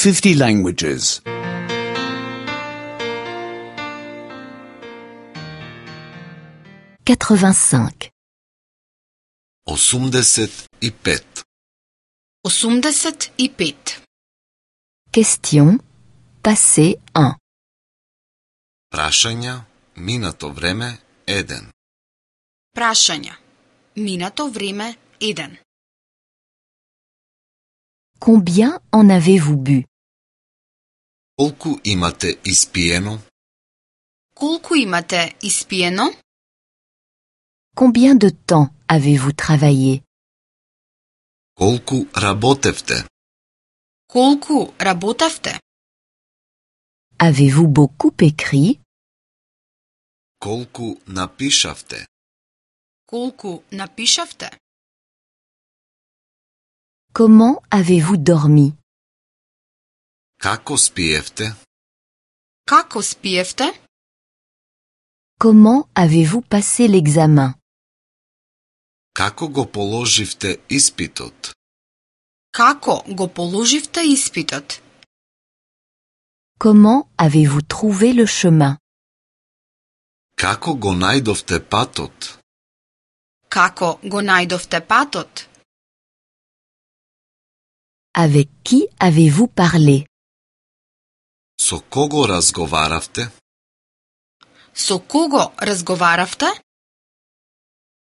50 languages. 85. 85. 85. Question. Passé 1. Прашања, минато време 1. Прашања. Минато време 1. Combien en avez-vous bu? Колку имате испиено? Колку имате испиено? Combien de temps avez-vous travaillé? Колку работевте? Колку работевте? Avez-vous beaucoup écrit? Колку напишавте? Колку напишавте? Comment avez-vous dormi? Како спиевте? Како спиевте? Comment avez-vous passé l'examen? Како го положивте испитот? Како го положивте испитот? Comment avez-vous trouvé le chemin? Како го најдовте патот? Како го најдовте патот? Avec qui avez-vous parlé? Со кого разговаравте? Со кого разговаравте?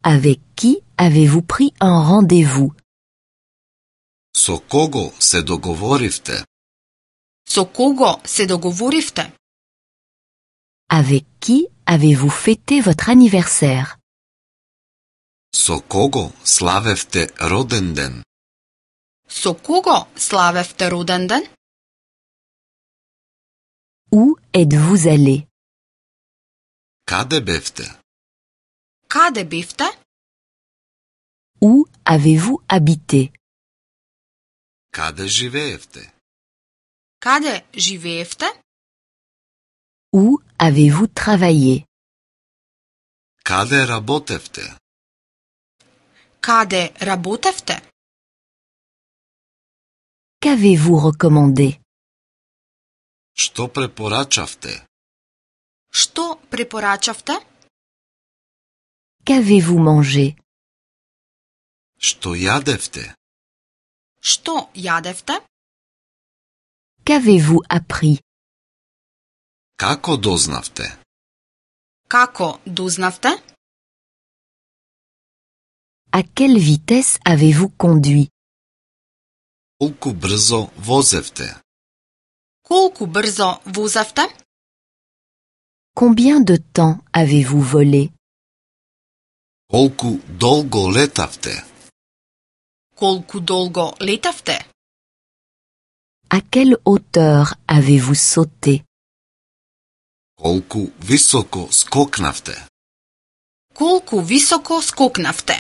Avec qui avez-vous pris un rendez-vous? Со кого се договоривте? Со кого се договоривте? Avec qui avez-vous fêté votre anniversaire? Со кого славевте роден ден? Со кого славевте роден ден? Où êtes-vous allé? Каде бевте? Каде бевте? Où avez-vous habité? Каде живеевте? Каде живеевте? Où avez-vous travaillé? Каде работевте? Каде работевте? Qu'avez-vous recommandé? Што препорачавте? Што препорачавте? Qu'avez-vous mangé? Што јадевте? Што јадевте? Qu'avez-vous appris? Како дознавте? Како дознавте? À quelle vitesse avez-vous conduit? Колку брзо возевте? Колку брзо возевте? Combien de temps avez-vous volé? Колку долго летавте? Колку долго летавте? À quelle hauteur avez-vous sauté? Колку високо скокнавте? Колку високо скокнавте?